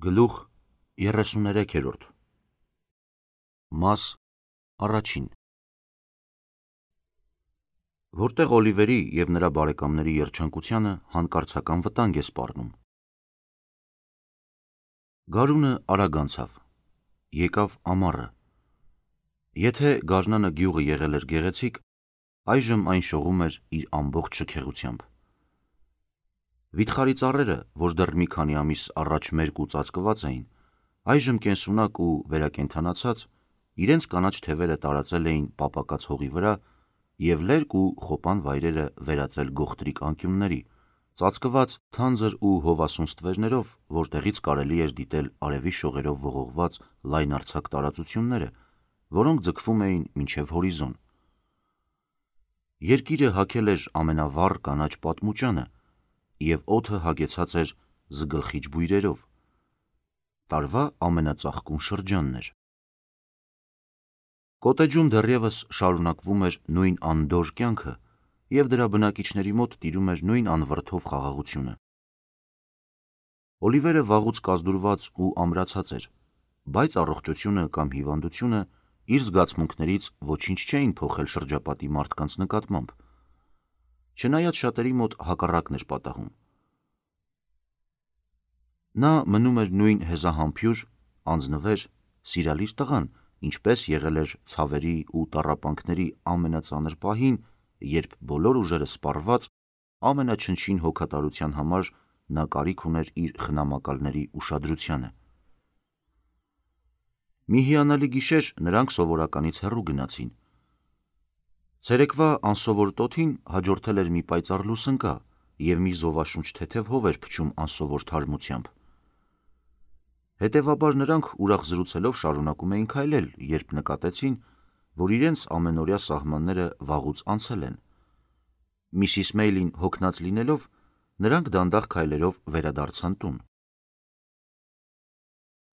Գլուխ 33 Մաս առաջին Որտեղ Օլիվերի և նրա բարեկամների երջանկությանը հանկարծական վտանգ է սպառնում։ Գարունը արագ անցավ, եկավ ամառը։ Եթե գարնանը գյուղը եղել էր գեղեցիկ, այժմ այն շողում էր իր ամբողջ շքեղությամբ։ Վիթխարի ծառերը, որ դեռ մի քանի ամիս առաջ մերկ ու ծածկված էին, այժմ կենսունակ ու վերակենդանացած, իրենց կանաչ թևերը տարածել էին պապակած հողի վրա և լերկ ու խոպան վայրերը վերածել գողտրիկ անկյունների, ծածկված թանձր ու հովասուն ստվերներով, որտեղից կարելի էր դիտել արևի շողերով ողողված լայնարձակ տարածությունները, որոնք ձգվում էին մինչև հորիզոն։ Երկիրը հագել էր ամենավառ կանաչ պատմուճանը, և օդը հագեցած էր զգլխիչ բույրերով։ Տարվա ամենածաղկուն շրջանն էր։ Կոտեջում դեռևս շարունակվում էր նույն անդորր կյանքը, և դրա բնակիչների մոտ տիրում էր նույն անվրդով խաղաղությունը։ Օլիվերը վաղուց կազդուրված ու ամրացած էր, բայց առողջությունը կամ հիվանդությունը իր զգացմունքներից ոչինչ չէին փոխել շրջապատի մարդկանց նկատմամբ, չնայած շատերի մոտ հակառակն էր պատահում։ Նա մնում էր նույն հեզահամբույր, անձնվեր, սիրալիր տղան, ինչպես եղել էր ցավերի ու տառապանքների ամենածանր պահին, երբ բոլոր ուժերը սպառված, ամենաչնչին հոգատարության համար նա կարիք ուներ իր խնամակալների ուշադրությանը։ Մի հիանալի գիշեր նրանք սովորականից հեռու գնացին։ Ցերեկվա անսովոր տոթին հաջորդել էր մի պայծառ լուսնկա, և մի զովաշունչ թեթև հով էր փչում անսովոր թարմությամբ։ Հետևաբար նրանք ուրախ զրուցելով շարունակում էին քայլել, երբ նկատեցին, որ իրենց ամենօրյա սահմանները վաղուց անցել են։ Միսիս Մեյլին հոգնած լինելով, նրանք դանդաղ քայլերով վերադարձան տուն։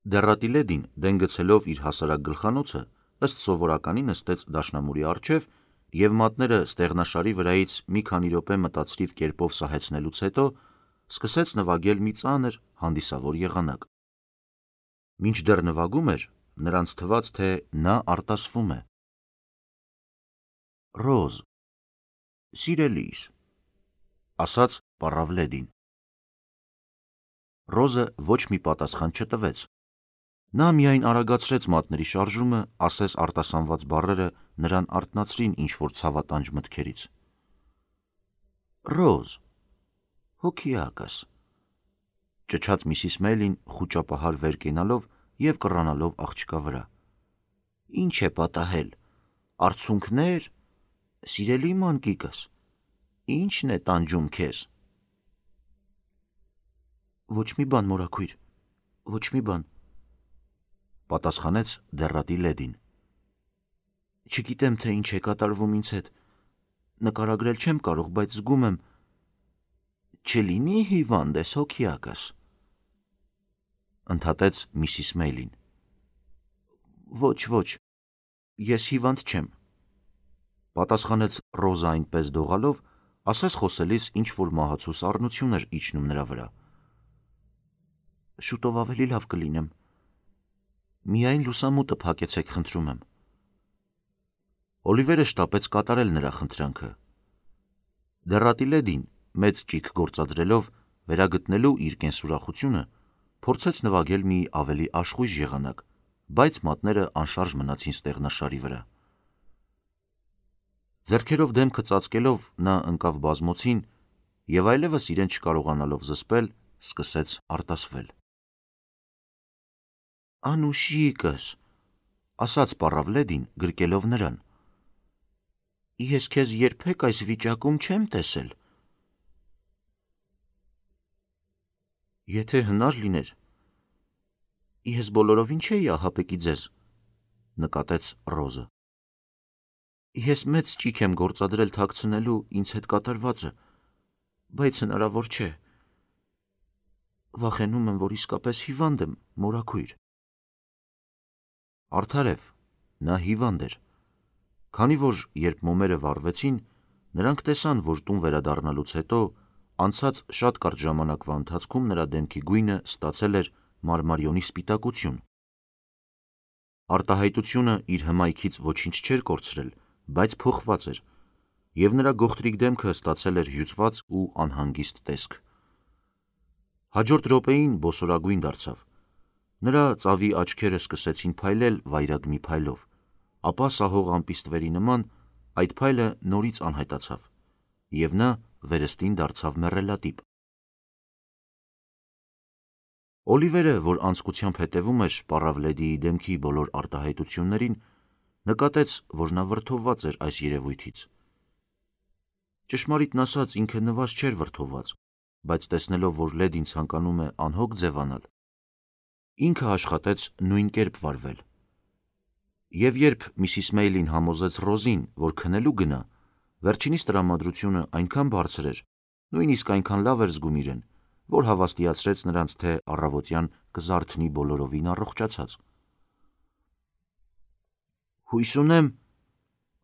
Դեռատի լեդին, դեն գցելով իր հասարակ գլխանոցը, ըստ սովորականի նստեց դաշնամուրի առջև և մատները ստեղնաշարի վրայից մի քանի րոպե մտածրիվ կերպով սահեցնելուց հետո սկսեց նվագել մի ծանր, հանդիսավոր եղանակ։ Մինչդեռ նվագում էր, նրանց թվաց, թե նա արտասվում է։ «Ռոզ, սիրելիս», ասաց պառավ լեդին։ Ռոզը ոչ մի պատասխան չտվեց։ Նա միայն արագացրեց մատների շարժումը, ասես արտասանված բառերը նրան արթնացրին ինչ-որ ցավատանջ մտքերից։ «Ռոզ, հոգիակս», ճչաց Միսիս Մեյլին խուճապահար վեր կենալով և կռանալով աղջկա վրա։ «Ինչ է պատահել, արցունքնե՞ր, սիրելի մանկիկս, ի՞նչն է տանջում քեզ»։ «Ոչ մի բան, մորաքույր, ոչ մի բան», պատասխանեց դեռատի լեդին։ «Չգիտեմ, թե ինչ է կատարվում ինձ հետ, նկարագրել չեմ կարող, բայց զգում եմ։ Չլինի հիվանդ ես, հոգիակս», ընդհատեց Միսիս Մեյլին։ «Ոչ, ես հիվանդ չեմ», պատասխանեց Ռոզը այնպես դողալով, ասես խոսելիս ինչ-որ մահացու սառնություն էր իջնում նրա վրա։ «Շուտով ավելի լավ կլինեմ։ Միայն լուսամուտը փակեցեք, խնդրում եմ»։ Օլիվերը շտապեց կատարել նրա խնդրանքը։ Դեռատի լեդին, մեծ ճիգ գործադրելով, վերագտնելու իր կենսուրախությունը, փորձեց նվագել մի ավելի աշխույժ եղանակ, բայց մատները անշարժ մնացին ստեղնաշարի վրա։ Ձեռքերով դեմքը ծածկելով նա ընկավ բազմոցին և այլևս իրեն չկարողանալով զսպել, սկսեց արտասվել։ «Անուշիկս», ասաց պառավ լեդին, գրկելով նրան, «ես քեզ երբեք այս վիճակում չեմ տեսել»։ «Եթե հնար լիներ, ես բոլորովին չէի ահապեկի ձեզ», նկատեց Ռոզը։ «Ես մեծ ճիգ եմ գործադրել թաքցնելու ինձ հետ կատարվածը, բայց հնարավոր չէ։ Վախենում եմ, որ իսկապես հիվանդ եմ, մորաքույր»։ Արդարև, նա հիվանդ էր, քանի որ երբ մոմերը վառվեցին, նրանք տեսան, որ տուն վերադառնալուց հետո անցած շատ կարճ ժամանակվա ընթացքում նրա դեմքի գույնը ստացել էր մարմարիոնի սպիտակություն։ Արտահայտությունը իր հմայքից ոչինչ չէր կորցրել, բայց փոխված էր, և նրա գողտրիկ դեմքը ստացել էր հյուծված ու անհանգիստ տեսք։ Հաջորդ րոպեին բոսորագույն դարձավ։ Նրա ծավի աչքերը սկսեցին փայլել վայրագմի փայլով, ապա սահող ամպիստվերի նման այդ փայլը նորից անհայտացավ, և նա վերստին դարձավ մեռելատիպ։ Օլիվերը, որ անձկությամբ հետևում էր Պառավլեդիի դեմքի բոլոր արտահայտություններին, նկատեց, որ նա վրդովված էր այս երևույթից։ Ճշմարիտն ասած, ինքը նվազ չէր վրդովված, բայց տեսնելով, որ լեդին ցանկանում է անհոգ ձևանալ, ինքը աշխատեց նույն կերպ վարվել։ Եվ երբ Միսիս Մեյլին համոզեց Ռոզին, որ քնելու գնա, վերջինիս տրամադրությունը այնքան բարձր էր, նույնիսկ այնքան լավ էր զգում իրեն, որ հավաստիացրեց նրանց, թե առավոտյան կզարթնի բոլորովին առողջացած։ «Հույս ունեմ»,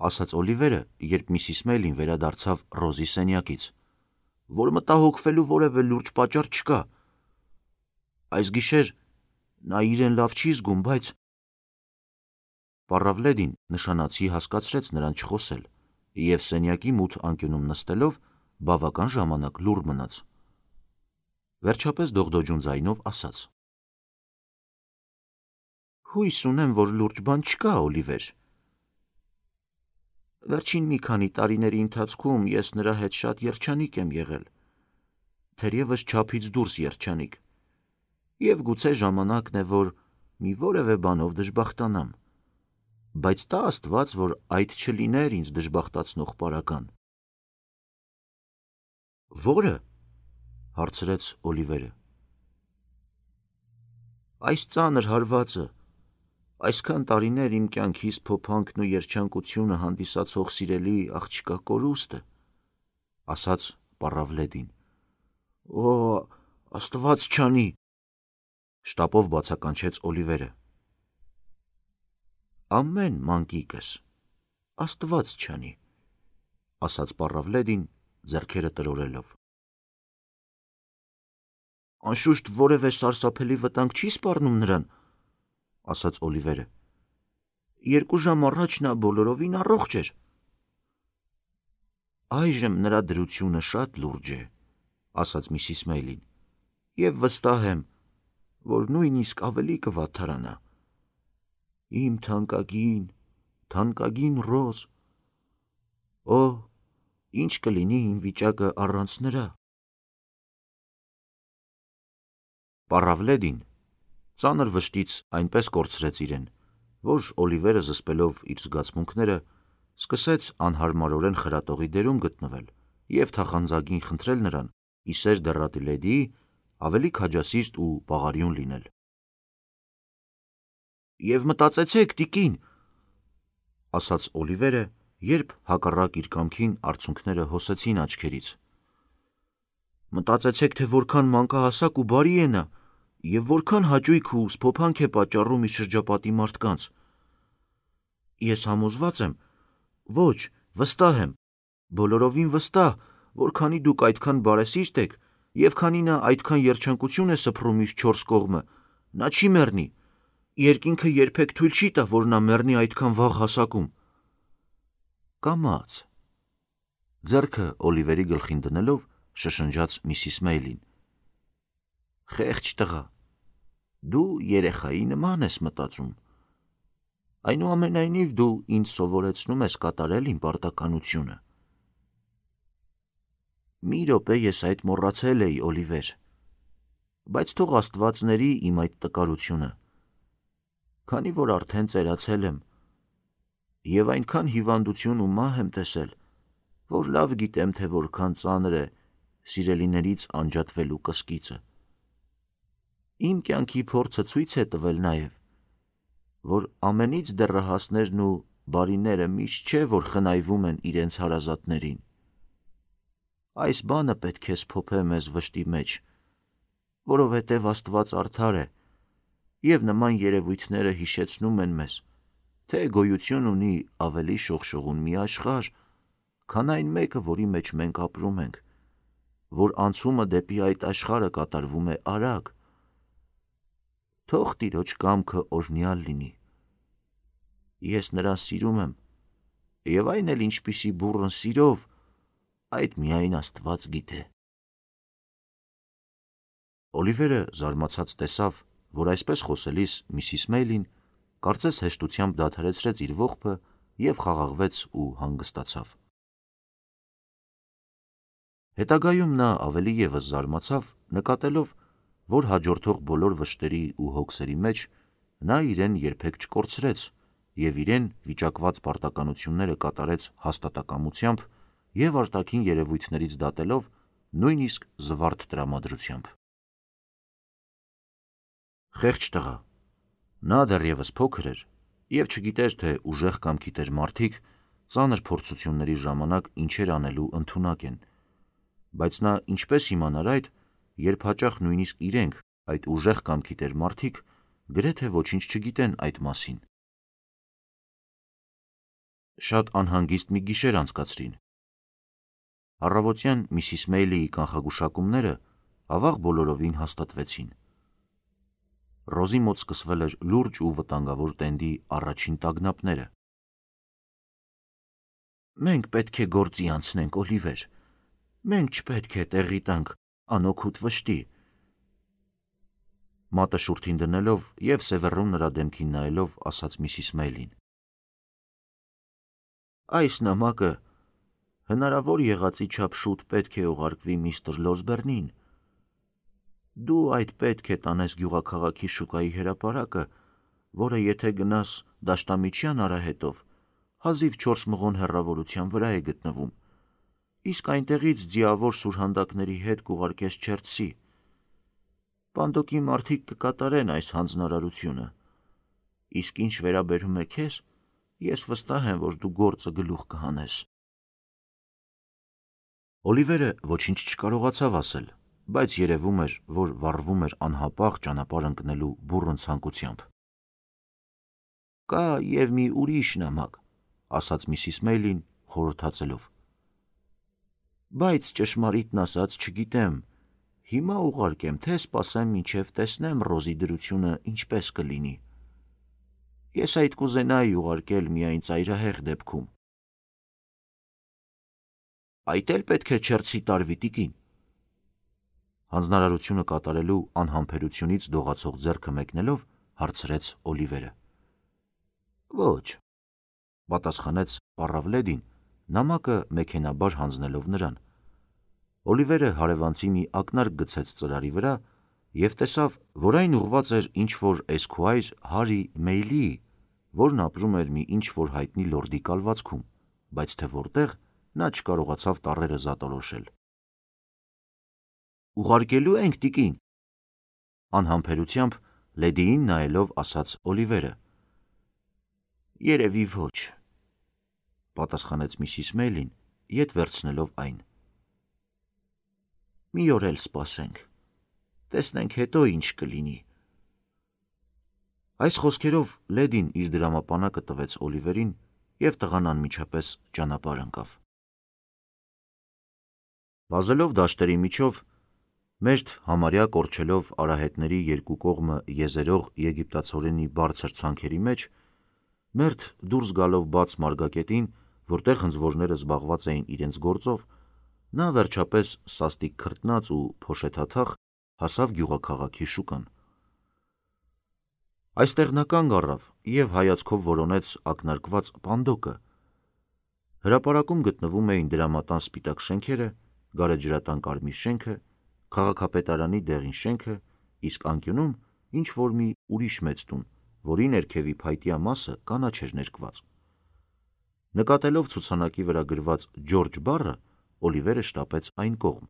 ասաց Օլիվերը, երբ Միսիս Մեյլին վերադարձավ Ռոզի սենյակից, «որ մտահոգվելու որևէ լուրջ պատճառ չկա։ Այս գիշեր նա իրեն լավ չի զգում, բայց…» Պառավլեդին նշանացի հասկացրեց նրան չխոսել և սենյակի մութ անկյունում նստելով բավական ժամանակ լուռ մնաց։ Վերջապես դողդոջուն ձայնով ասաց. «Հույս ունեմ, որ լուրջ բան չկա, Օլիվեր։ Վերջին մի քանի տարիների ընթացքում ես նրա հետ շատ երջանիկ եմ եղել, թերևս չափից դուրս երջանիկ, և գուցե ժամանակն է, որ մի որևէ բանով դժբախտանամ, բայց տա Աստված, որ այդ չլիներ ինձ դժբախտացնող պարագան»։ «Ո՞րը», հարցրեց Օլիվերը։ «Այս ծանր հարվածը, այսքան տարիներ իմ կյանքիս փոփանքն ու երջանկությունը հանդիսացող սիրելի աղջկա կորուստը», ասաց Պառավլեդին։ «Օ, Աստված չանի», շտապով բացականչեց Օլիվերը։ «Ամեն, մանկիկս, Աստված չանի», ասաց Պառավլեդին ձեռքերը տրորելով։ «Անշուշտ որևէ սարսափելի վտանգ չի սպառնում նրան», ասաց Օլիվերը։ «2 ժամ առաջ նա բոլորովին առողջ էր»։ «Այժմ նրա դրությունը շատ լուրջ է», ասաց Միսիս Մեյլին, «և վստահ եմ, որ նույնիսկ ավելի կվատթարանա։ Իմ թանկագին, թանկագին Ռոզ… Օ, ինչ կլինի իմ վիճակը առանց նրա»։ Պառավլեդին ծանր վշտից այնպես կորցրեց իրեն, որ Օլիվերը, զսպելով իր զգացմունքները, սկսեց անհարմարորեն խրատողի դերում գտնվել և թախանձագին խնդրել նրան, ի սեր դեռատի լեդիի, ավելի քաջասիրտ ու բաղարիուն լինել։ «Եվ մտածեցեք, տիկին», ասաց Օլիվերը, երբ հակառակ իր կամքին արցունքները հոսեցին աչքերից, «մտածեցեք, թե որքան մանկահասակ ու բարի է նա, և որքան հաճույք ու սփոփանք է պատճառում իր շրջապատի մարդկանց։ Ես համոզված եմ, ոչ, վստահ եմ, բոլորովին վստահ, որ քանի դուք այդքան բարեսիրտ եք, և քանի նա այդքան երջանկություն է սփռում իր 4 կողմը, նա չի մեռնի, երկինքը երբեք թույլ չի տա, որ նա մեռնի այդքան վաղ հասակում»։ «Կամաց», ձեռքը Օլիվերի գլխին դնելով, շշնջաց Միսիս Մեյլին։ «Խեղճ տղա, դու երեխայի նման ես մտածում։ Այնուամենայնիվ դու ինձ սովորեցնում ես կատարել իմ պարտականությունը»։ «Մի րոպե ես այդ մոռացել էի, Օլիվեր, բայց թող Աստված ների իմ այդ տկարությունը, քանի որ արդեն ծերացել եմ և այնքան հիվանդություն ու մահ եմ տեսել, որ լավ գիտեմ, թե որքան ծանր է սիրելիներից անջատվելու կսկիծը։ Իմ կյանքի փորձը ցույց է տվել նաև, որ ամենից դեռահասներն ու բարիները միշտ չէ, որ խնայվում են իրենց հարազատներին։ Այս բանը պետք է սփոփե մեզ վշտի մեջ, որովհետև Աստված արդար է, և նման երևույթները հիշեցնում են մեզ, թե գոյություն ունի ավելի շողշողուն մի աշխարհ, քան այն մեկը, որի մեջ մենք ապրում ենք, որ անցումը դեպի այդ աշխարհը կատարվում է արագ, թող տիրոջ կամքը օրհնյալ լինի։ Ես նրան սիրում եմ, եւ այն էլ ինչպիսի բուռն սիրով, այդ միայն Աստված գիտե։ Օլիվերը զարմացած տեսավ, որ այսպես խոսելիս Միսիս Մեյլին կարծես հեշտությամբ դադարեցրեց իր ողբը և խաղաղվեց ու հանգստացավ։ Հետագայում նա ավելի ևս զարմացավ, նկատելով, որ հաջորդող բոլոր վշտերի ու հոգսերի մեջ նա իրեն երբեք չկորցրեց և իրեն վիճակված պարտականությունները կատարեց հաստատակամությամբ և արտաքին երևույթներից դատելով նույնիսկ զվարթ տրամադրությամբ։ Խեղճ տղա, նա դեռևս փոքր էր և չգիտեր, թե ուժեղ կամ գիտեր մարդիկ ծանր փորձությունների ժամանակ ինչեր անելու ընդունակ են, բայց նա ինչպես իմանար այդ, երբ հաճախ նույնիսկ իրենք, այդ ուժեղ կամ գիտեր մարդիկ, գրեթե ոչինչ չգիտեն այդ մասին։ Շատ անհանգիստ մի գիշեր անցկացրին։ Առավոտյան Միսիս Մեյլիի կանխագուշակումները ավաղ բոլորովին հաստատվեցին։ Ռոզի մոտ սկսվել էր լուրջ ու վտանգավոր տենդի առաջին տագնապները։ Մենք պետք է գործի անցնենք, Օլիվեր, մենք չպետք է տեղի տանք անօգուտ վշտի, մատը շուրթին դնելով և սևեռում նրա դեմքին նայելով ասաց Միսիս Մեյլին։ Այս նամակը հնարավոր եղածի չափ շուտ պետք է ուղարկվի միստր Լորսբերնին։ Դու այդ պետք է տանես գյուղաքաղաքի շուկայի հրապարակը, որը եթե գնաս Դաշտամիջյան արահետով, հազիվ 4 մղոն հեռավորության վրա է գտնվում, իսկ այնտեղից ձիավոր սուրհանդակների հետ կուղարկես Չերթսի։ Պանդոկի մարդիկ կկատարեն այս հանձնարարությունը, իսկ ինչ վերաբերում է քեզ, ես վստահ եմ, որ դու գործը գլուխ կհանես։ Օլիվերը ոչինչ չկարողացավ ասել, բայց երևում էր, որ վառվում էր անհապաղ ճանապարհ ընկնելու բուռն ցանկությամբ։ Կա և մի ուրիշ նամակ, ասաց Միսիս Մեյլին խորհրդածելով։ Բայց ճշմարիտն ասած չգիտեմ, հիմա ուղարկեմ, թե սպասեմ մինչև տեսնեմ Ռոզի դրությունը ինչպես կլինի։ Ես այդ կուզենայի ուղարկել միայն ծայրահեղ դեպքում։ Այդ էլ պետք է Չերթսի տարվի, տիկին։ Հանձնարարությունը կատարելու անհամբերությունից դողացող ձեռքը մեկնելով հարցրեց Օլիվերը։ Ոչ, պատասխանեց պառավ լեդին, նամակը մեքենաբար հանձնելով նրան։ Օլիվերը հարևանցի մի ակնարկ գցեց ծրարի վրա և տեսավ, որ այն ուղղված էր ինչ-որ Էսքուայր Հարի Մեյլիի, որն ապրում էր մի ինչ-որ հայտնի լորդի կալվածքում, բայց թե որտեղ, նա չկարողացավ տառերը զատորոշել։ Ուղարկելու ենք, տիկին, անհամբերությամբ լեդիին նայելով ասաց Օլիվերը։ Երևի ոչ, պատասխանեց Միսիս Մեյլին, ետ վերցնելով այն։ Մի օր էլ սպասենք, տեսնենք հետո ինչ կլինի։ Այս խոսքերով լեդին իր դրամապանակը տվեց Օլիվերին և տղան անմիջապես ճանապարհ ընկավ։ Վազելով դաշտերի միջով, մերթ համարյա կորչելով արահետների երկու կողմը եզերող եգիպտացորենի բարձր ցանքերի մեջ, մերթ դուրս գալով բաց մարգագետին, որտեղ հնձվորները զբաղված էին իրենց գործով, նա վերջապես սաստիկ քրտնած ու փոշեթաթախ հասավ գյուղաքաղաքի շուկան։ Այստեղ նա կանգ առավ և հայացքով որոնեց ակնարկված պանդոկը։ Հրապարակում գտնվում էին դրամատան սպիտակ շենքերը, գարեջրատան կարմիր շենքը, քաղաքապետարանի դեղին շենքը, իսկ անկյունում ինչ-որ մի ուրիշ մեծ տուն, որի ներքևի փայտյա մասը կանաչ էր ներկված։ Նկատելով ցուցանակի վրա գրված Ջորջ բառը, Օլիվերը շտապեց այն կողմ։